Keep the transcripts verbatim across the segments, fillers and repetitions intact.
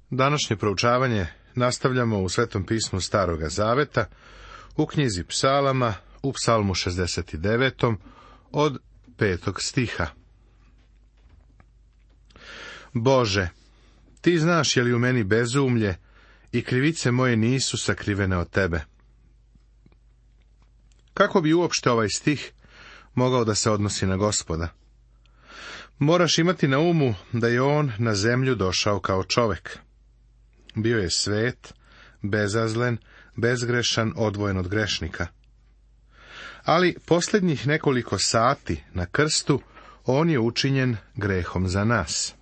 Današnje proučavanje nastavljamo u Svetom pismu Staroga Zaveta, u knjizi Psalama, u Psalmu šezdeset devetom, od petog stiha. Bože, ti znaš je li u meni bezumlje i krivice moje nisu sakrivene od tebe. Kako bi uopšte ovaj stih mogao da se odnosi na Gospoda? Moraš imati na umu da je on na zemlju došao kao čovek. Bio je svet, bezazlen, bezgrešan, odvojen od grešnika. Ali posljednjih nekoliko sati na krstu on je učinjen grehom za nas.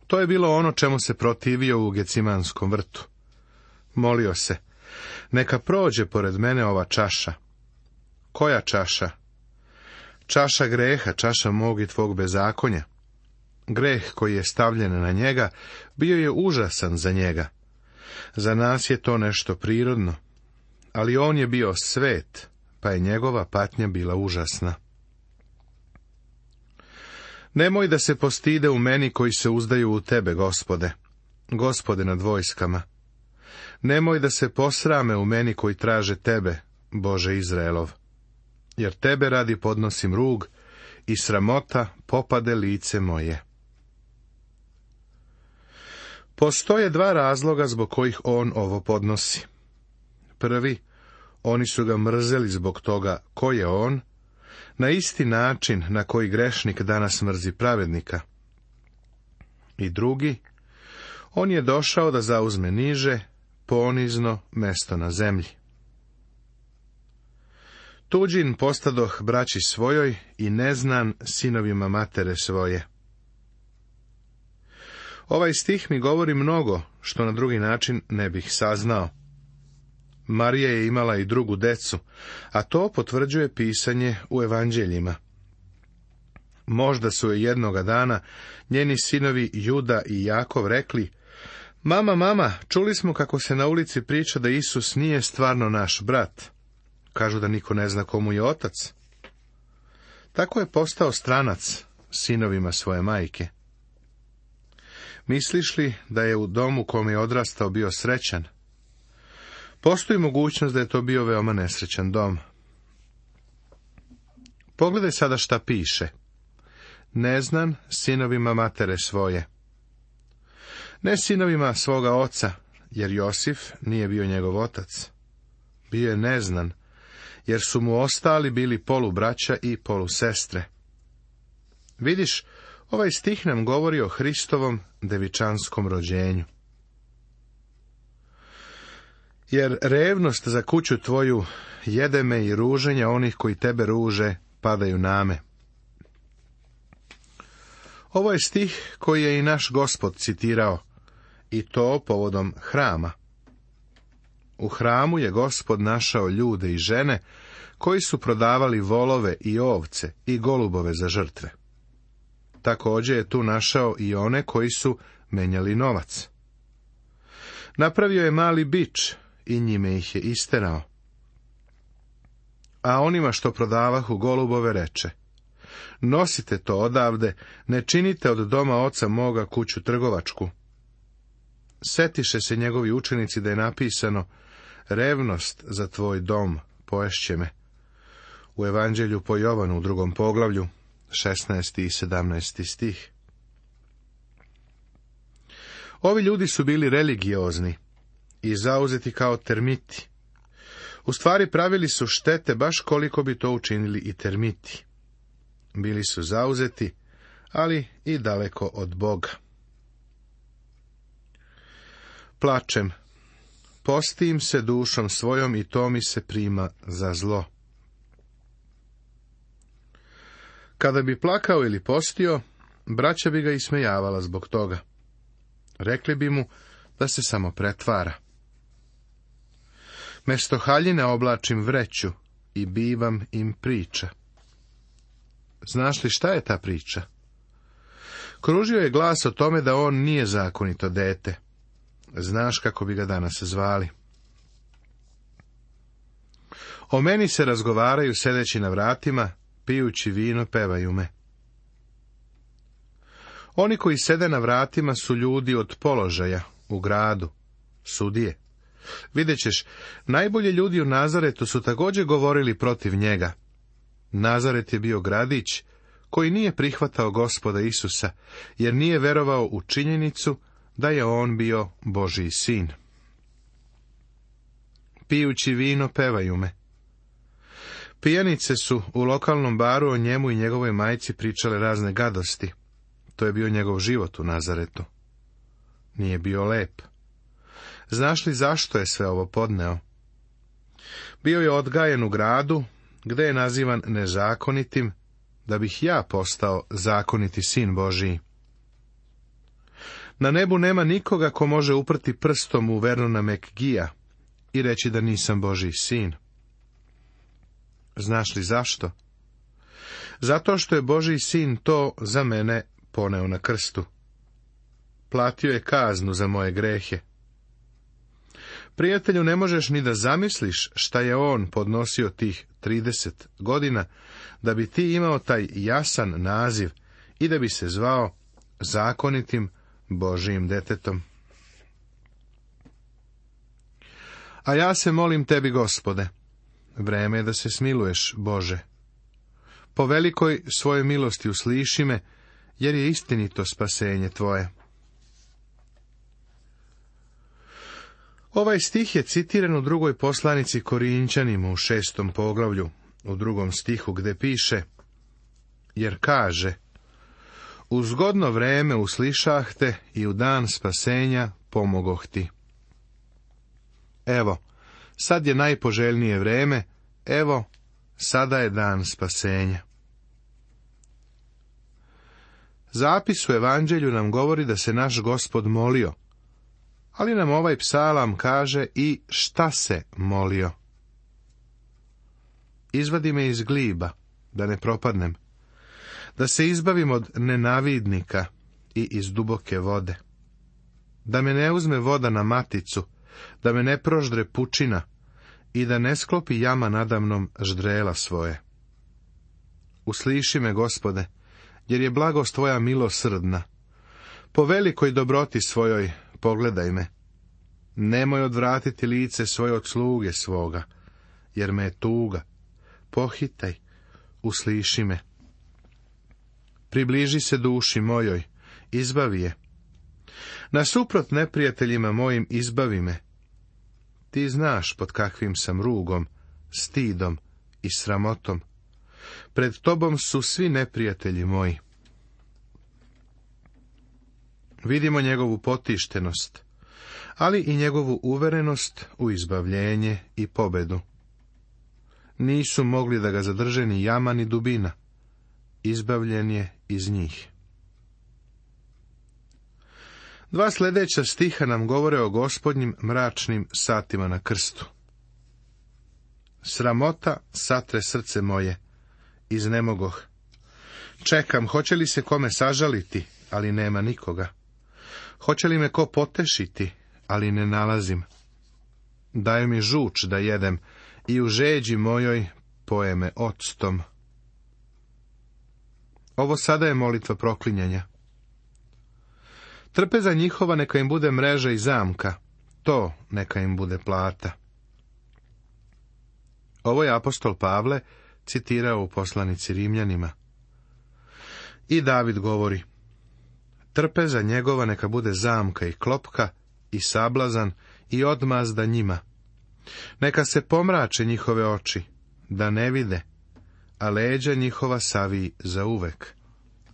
To je bilo ono čemu se protivio u Gecimanskom vrtu. Molio se, neka prođe pored mene ova čaša. Koja čaša? Čaša greha, čaša mog i tvog bezakonja. Greh koji je stavljen na njega bio je užasan za njega. Za nas je to nešto prirodno, ali on je bio svet, pa je njegova patnja bila užasna. Nemoj da se postide u meni koji se uzdaju u tebe, Gospode, Gospode nad vojskama. Nemoj da se posrame u meni koji traže tebe, Bože Izraelov, jer tebe radi podnosim rug i sramota popade lice moje. Postoje dva razloga zbog kojih on ovo podnosi. Prvi, oni su ga mrzeli zbog toga ko je on, na isti način na koji grešnik danas mrzi pravednika. I drugi, on je došao da zauzme niže, ponizno mesto na zemlji. Tuđin postadoh braći svojoj i neznan sinovima matere svoje. Ovaj stih mi govori mnogo, što na drugi način ne bih saznao. Marija je imala i drugu decu, a to potvrđuje pisanje u evanđeljima. Možda su je jednoga dana njeni sinovi Juda i Jakov rekli: Mama, mama, čuli smo kako se na ulici priča da Isus nije stvarno naš brat. Kažu da niko ne zna komu je otac. Tako je postao stranac sinovima svoje majke. Misliš li da je u domu kome je odrastao bio srećan? Postoji mogućnost da je to bio veoma nesrećan dom. Pogledaj sada šta piše. Neznan sinovima matere svoje. Ne sinovima svoga oca, jer Josif nije bio njegov otac. Bio je neznan, jer su mu ostali bili polubraća i polusestre. Vidiš, ovaj stih nam govori o Hristovom devičanskom rođenju. Jer revnost za kuću tvoju jede me i ruženja onih koji tebe ruže padaju na me. Ovo je stih koji je i naš Gospod citirao, i to povodom hrama. U hramu je Gospod našao ljude i žene koji su prodavali volove i ovce i golubove za žrtve. Također je tu našao i one koji su menjali novac. Napravio je mali bič i njime ih je isterao. A onima što prodavahu golubove reče: Nosite to odavde, ne činite od doma oca moga kuću trgovačku. Setiše se njegovi učenici da je napisano: Revnost za tvoj dom poješće me. U evanđelju po Jovanu u drugom poglavlju, šesnaesti i sedamnaesti stih. Ovi ljudi su bili religiozni i zauzeti kao termiti. U stvari pravili su štete baš koliko bi to učinili i termiti. Bili su zauzeti, ali i daleko od Boga. Plačem, postim se dušom svojom i to mi se prima za zlo. Kada bi plakao ili postio, braća bi ga ismejavala zbog toga. Rekli bi mu da se samo pretvara. Mesto haljine oblačim vreću i bivam im priča. Znaš li šta je ta priča? Kružio je glas o tome da on nije zakonito dete. Znaš kako bi ga danas zvali. O meni se razgovaraju sedeći na vratima, pijući vino pevaju me. Oni koji sede na vratima su ljudi od položaja u gradu, sudije. Vidjet ćeš, najbolji ljudi u Nazaretu su također govorili protiv njega. Nazaret je bio gradić koji nije prihvatao Gospoda Isusa, jer nije verovao u činjenicu da je on bio Božji sin. Pijući vino pevaju me. Pijanice su u lokalnom baru o njemu i njegovoj majci pričale razne gadosti. To je bio njegov život u Nazaretu. Nije bio lep. Znaš li zašto je sve ovo podneo? Bio je odgajen u gradu, gde je nazivan nezakonitim, da bih ja postao zakoniti sin Božiji. Na nebu nema nikoga ko može uprti prstom u Vernona McGee-a i reći da nisam Božji sin. Znaš li zašto? Zato što je Božji sin to za mene poneo na krstu. Platio je kaznu za moje grehe. Prijatelju, ne možeš ni da zamisliš šta je on podnosio tih trideset godina, da bi ti imao taj jasan naziv i da bi se zvao zakonitim Božijim detetom. A ja se molim tebi, Gospode, vreme je da se smiluješ, Bože. Po velikoj svojoj milosti usliši me, jer je istinito spasenje tvoje. Ovaj stih je citiran u drugoj poslanici Korinćanima u šestom poglavlju, u drugom stihu, gde piše, jer kaže, u zgodno vreme uslišah te i u dan spasenja pomogoh ti. Evo, sad je najpoželjnije vreme, evo, sada je dan spasenja. Zapis u Evanđelju nam govori da se naš Gospod molio, ali nam ovaj psalam kaže i šta se molio. Izvadi me iz gliba, da ne propadnem, da se izbavim od nenavidnika i iz duboke vode, da me ne uzme voda na maticu, da me ne proždre pučina i da ne sklopi jama nadamnom ždrela svoje. Usliši me, Gospode, jer je blagost tvoja milosrdna. Po velikoj dobroti svojoj pogledaj me. Nemoj odvratiti lice svoje od sluge svoga, jer me je tuga. Pohitaj, usliši me. Približi se duši mojoj, izbavi je. Nasuprot neprijateljima mojim izbavi me. Ti znaš pod kakvim sam rugom, stidom i sramotom. Pred tobom su svi neprijatelji moji. Vidimo njegovu potištenost, ali i njegovu uverenost u izbavljenje i pobedu. Nisu mogli da ga zadrže ni jama ni dubina. Izbavljen je iz njih. Dva sljedeća stiha nam govore o Gospodnjim mračnim satima na krstu. Sramota satre srce moje, iznemogoh. Čekam, hoće li se kome sažaliti, ali nema nikoga. Hoće li me ko potešiti, ali ne nalazim. Daj mi žuč da jedem i u žeđi mojoj poje me octom. Ovo sada je molitva proklinjanja. Trpeza njihova neka im bude mreža i zamka, to neka im bude plata. Ovo je apostol Pavle citirao u poslanici Rimljanima. I David govori, trpeza njegova neka bude zamka i klopka i sablazan i odmazda njima. Neka se pomrače njihove oči, da ne vide, a leđa njihova saviji zauvek,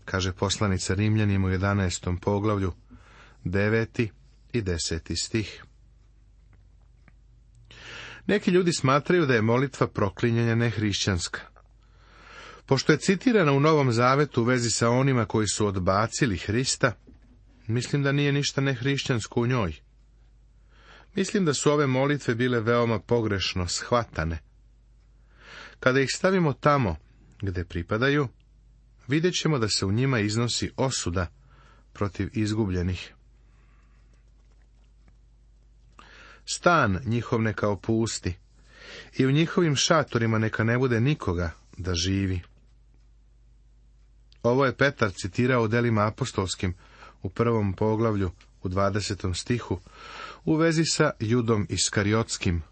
kaže poslanica Rimljanima u jedanaestom poglavlju, deveti i deseti stih. Neki ljudi smatraju da je molitva proklinjanja nehrišćanska. Pošto je citirana u Novom Zavetu u vezi sa onima koji su odbacili Hrista, mislim da nije ništa nehrišćansko u njoj. Mislim da su ove molitve bile veoma pogrešno shvatane. Kada ih stavimo tamo gde pripadaju, vidjet ćemo da se u njima iznosi osuda protiv izgubljenih. Stan njihov neka opusti i u njihovim šatorima neka ne bude nikoga da živi. Ovo je Petar citirao u delima apostolskim, u prvom poglavlju, u dvadesetom stihu, u vezi sa Judom Iskariotskim.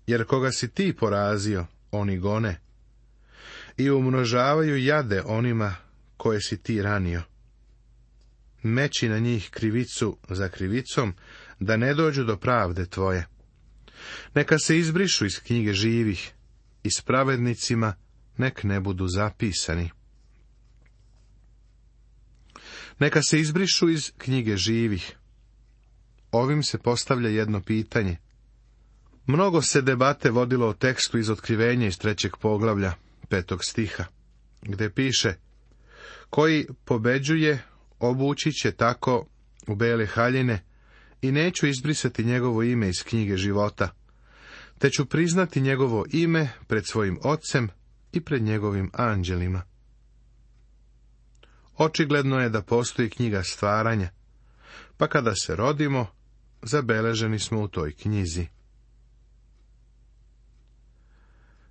Jer koga si ti porazio, oni gone, i umnožavaju jade onima koje si ti ranio. Meći na njih krivicu za krivicom, da ne dođu do pravde tvoje. Neka se izbrišu iz knjige živih, i s pravednicima nek ne budu zapisani. Neka se izbrišu iz knjige živih. Ovim se postavlja jedno pitanje. Mnogo se debate vodilo o tekstu iz Otkrivenja iz trećeg poglavlja, petog stiha, gde piše: koji pobeđuje, obući će tako u bele haljine, i neću izbrisati njegovo ime iz knjige života, te ću priznati njegovo ime pred svojim ocem i pred njegovim anđelima. Očigledno je da postoji knjiga stvaranja, pa kada se rodimo, zabeleženi smo u toj knjizi.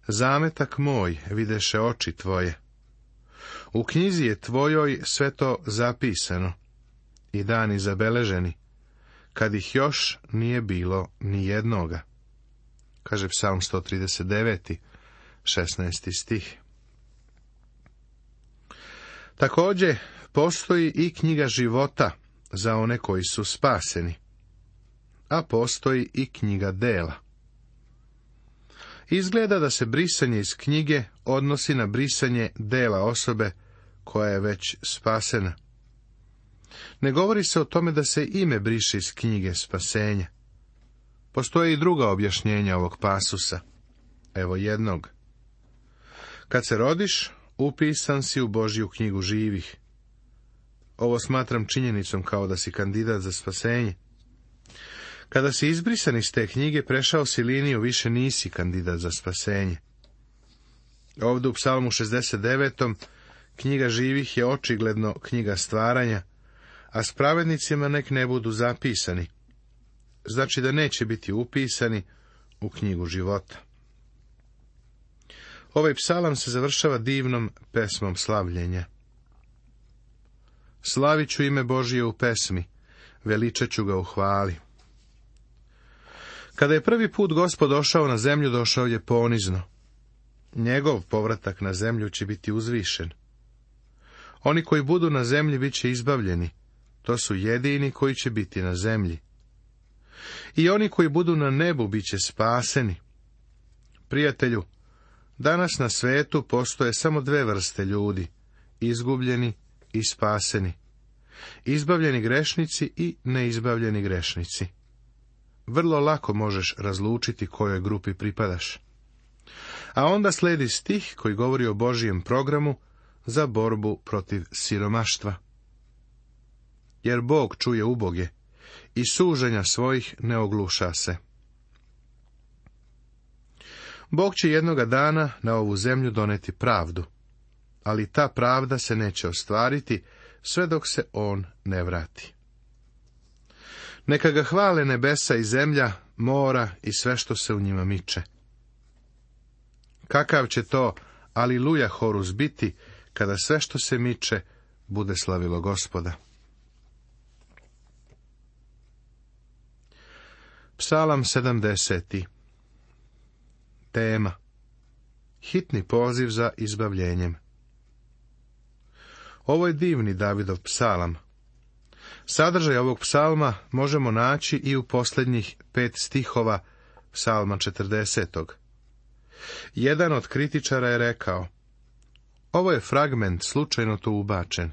Zametak moj videše oči tvoje. U knjizi je tvojoj sve to zapisano i dani zabeleženi, kad ih još nije bilo ni jednoga. Kaže Psalm sto trideset devet, šesnaesti stih. Također, postoji i knjiga života za one koji su spaseni, a postoji i knjiga dela. Izgleda da se brisanje iz knjige odnosi na brisanje dela osobe koja je već spasena. Ne govori se o tome da se ime briše iz knjige spasenja. Postoje i druga objašnjenja ovog pasusa. Evo jednog. Kad se rodiš, upisan si u Božju knjigu živih. Ovo smatram činjenicom kao da si kandidat za spasenje. Kada si izbrisan iz te knjige, prešao si liniju, više nisi kandidat za spasenje. Ovdje u Psalmu šezdeset devetom knjiga živih je očigledno knjiga stvaranja, a s pravednicima nek ne budu zapisani. Znači da neće biti upisani u knjigu života. Ovaj psalam se završava divnom pesmom slavljenja. Slavit ću ime Božije u pesmi, veličat ću ga u hvali. Kada je prvi put Gospod došao na zemlju, došao je ponizno. Njegov povratak na zemlju će biti uzvišen. Oni koji budu na zemlji bit će izbavljeni. To su jedini koji će biti na zemlji. I oni koji budu na nebu bit će spaseni. Prijatelju, danas na svetu postoje samo dve vrste ljudi, izgubljeni i spaseni. Izbavljeni grešnici i neizbavljeni grešnici. Vrlo lako možeš razlučiti kojoj grupi pripadaš. A onda slijedi stih koji govori o Božijem programu za borbu protiv siromaštva. Jer Bog čuje uboge i suženja svojih ne ogluša se. Bog će jednoga dana na ovu zemlju doneti pravdu, ali ta pravda se neće ostvariti sve dok se on ne vrati. Neka ga hvale nebesa i zemlja, mora i sve što se u njima miče. Kakav će to aliluja horus biti, kada sve što se miče bude slavilo Gospoda. Psalam sedamdeseti. Tema: hitni poziv za izbavljenjem. Ovo je divni Davidov psalam. Sadržaj ovog psalma možemo naći i u posljednjih pet stihova psalma četrdesetog. Jedan od kritičara je rekao: ovo je fragment slučajno tu ubačen,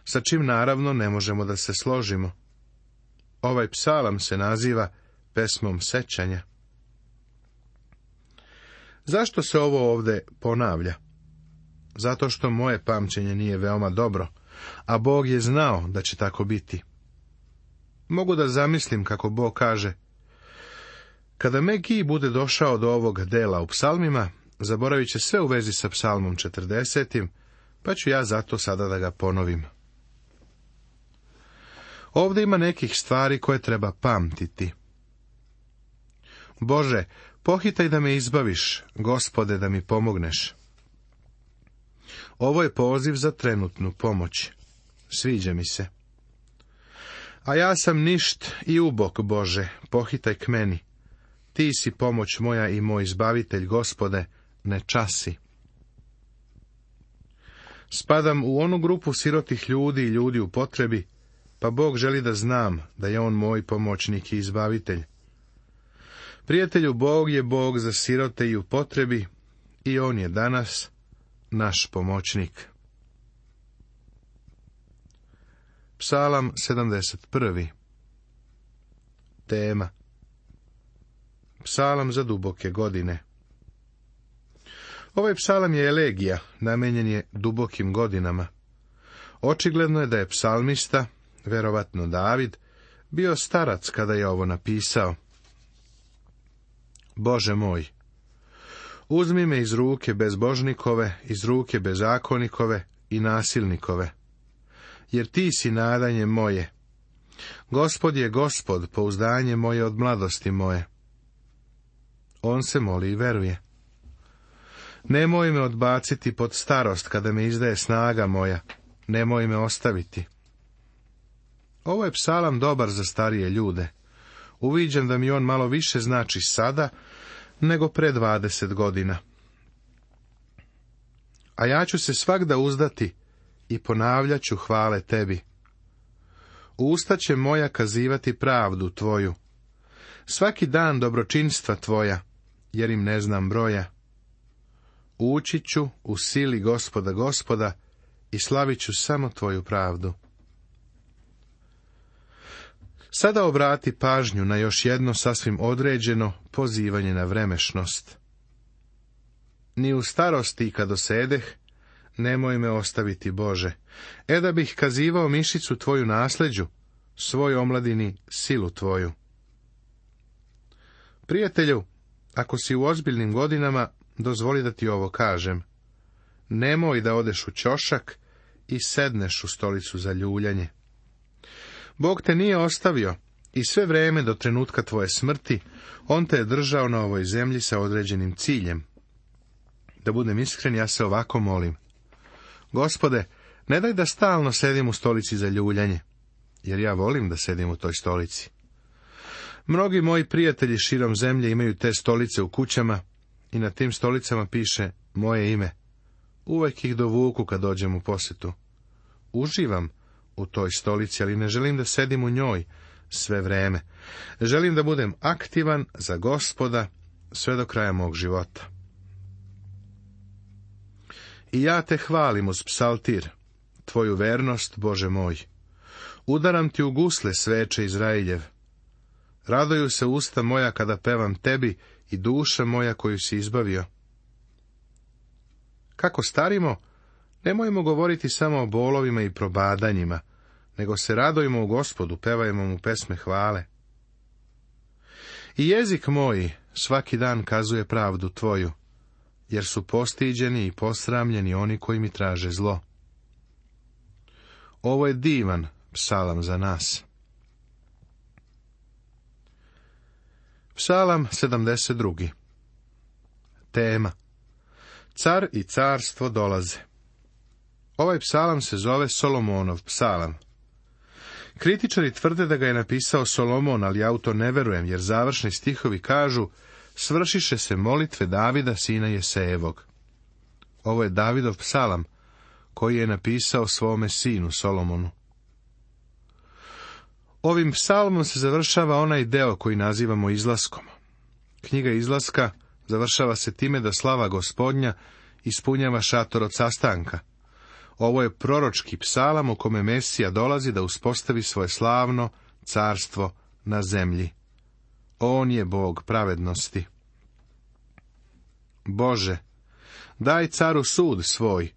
sa čim naravno ne možemo da se složimo. Ovaj psalam se naziva pesmom sećanja. Zašto se ovo ovdje ponavlja? Zato što moje pamćenje nije veoma dobro, a Bog je znao da će tako biti. Mogu da zamislim kako Bog kaže: kada Megi bude došao do ovog dela u psalmima, zaboravit će sve u vezi sa psalmom četrdesetim, pa ću ja zato sada da ga ponovim. Ovdje ima nekih stvari koje treba pamtiti. Bože, pohitaj da me izbaviš, Gospode, da mi pomogneš. Ovo je poziv za trenutnu pomoć. Sviđa mi se. A ja sam ništ i ubok, Bože, pohitaj k meni. Ti si pomoć moja i moj izbavitelj, Gospode, ne časi. Spadam u onu grupu sirotih ljudi i ljudi u potrebi, pa Bog želi da znam da je on moj pomoćnik i izbavitelj. Prijatelju, Bog je Bog za sirote i u potrebi, i on je danas naš pomoćnik. Psalam sedamdeset prvi. Tema. Psalam za duboke godine. Ovaj psalam je elegija, namenjen je dubokim godinama. Očigledno je da je psalmista, verovatno David, bio starac kada je ovo napisao. Bože moj, uzmi me iz ruke bezbožnikove, iz ruke bezakonikove i nasilnikove, jer ti si nadanje moje. Gospod je Gospod, pouzdanje moje od mladosti moje. On se moli i veruje. Nemoj me odbaciti pod starost, kada me izdaje snaga moja, nemoj me ostaviti. Ovo je psalam dobar za starije ljude. Uviđam da mi on malo više znači sada, nego pre dvadeset godina. A ja ću se svagda uzdati i ponavljat ću hvale tebi. Usta će moja kazivati pravdu tvoju. Svaki dan dobročinstva tvoja, jer im ne znam broja. Ući ću u sili Gospoda Gospoda i slavit ću samo tvoju pravdu. Sada obrati pažnju na još jedno sasvim određeno pozivanje na vremešnost. Ni u starosti kad osedeh, nemoj me ostaviti, Bože. E da bih kazivao mišicu tvoju nasleđu, svoj omladini silu tvoju. Prijatelju, ako si u ozbiljnim godinama, dozvoli da ti ovo kažem. Nemoj da odeš u ćošak i sedneš u stolicu za ljuljanje. Bog te nije ostavio i sve vreme do trenutka tvoje smrti, on te je držao na ovoj zemlji sa određenim ciljem. Da budem iskren, ja se ovako molim. Gospode, ne daj da stalno sedim u stolici za ljuljanje, jer ja volim da sedim u toj stolici. Mnogi moji prijatelji širom zemlje imaju te stolice u kućama i na tim stolicama piše moje ime. Uvijek ih dovuku kad dođem u posjetu. Uživam u toj stolici, ali ne želim da sedim u njoj sve vreme. Želim da budem aktivan za Gospoda sve do kraja mog života. I ja te hvalim uz psaltir, tvoju vernost, Bože moj. Udaram ti u gusle sveče Izrailjev. Raduju se usta moja kada pevam tebi i duša moja koju si izbavio. Kako starimo, nemojmo govoriti samo o bolovima i probadanjima, nego se radujmo u Gospodu, pevajmo mu pesme hvale. I jezik moj svaki dan kazuje pravdu tvoju, jer su postiđeni i posramljeni oni koji mi traže zlo. Ovo je divan psalam za nas. Psalam sedamdeset drugi. Tema. Car i carstvo dolaze. Ovaj psalam se zove Solomonov psalam. Kritičari tvrde da ga je napisao Solomon, ali ja u to ne verujem, jer završni stihovi kažu svršiše se molitve Davida, sina Jesejevog. Ovo je Davidov psalam, koji je napisao svome sinu Solomonu. Ovim psalmom se završava onaj deo koji nazivamo izlaskom. Knjiga izlaska završava se time da slava Gospodnja ispunjava šator od sastanka. Ovo je proročki psalam u kome Mesija dolazi da uspostavi svoje slavno carstvo na zemlji. On je Bog pravednosti. Bože, daj caru sud svoj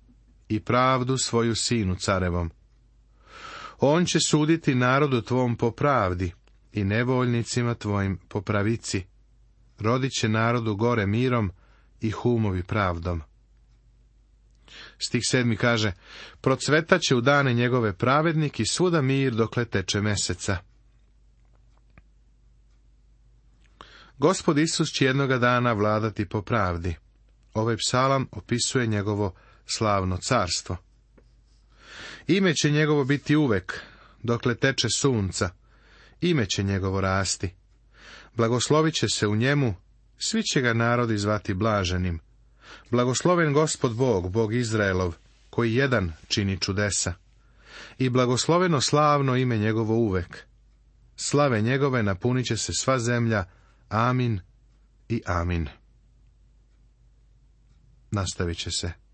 i pravdu svoju sinu carevom. On će suditi narodu tvom po pravdi i nevoljnicima tvojim po pravici. Rodit će narodu gore mirom i humovi pravdom. Stih sedmi kaže, procvetaće u dane njegove pravednik i svuda mir dokle teče meseca. Gospod Isus će jednoga dana vladati po pravdi. Ovaj psalam opisuje njegovo slavno carstvo. Ime će njegovo biti uvek, dokle teče sunca, ime će njegovo rasti. Blagoslovit će se u njemu, svi će ga narodi zvati blaženim. Blagosloven Gospod Bog, Bog Izraelov, koji jedan čini čudesa. I blagosloveno slavno ime njegovo uvek. Slave njegove napunit će se sva zemlja. Amin i amin. Nastavit će se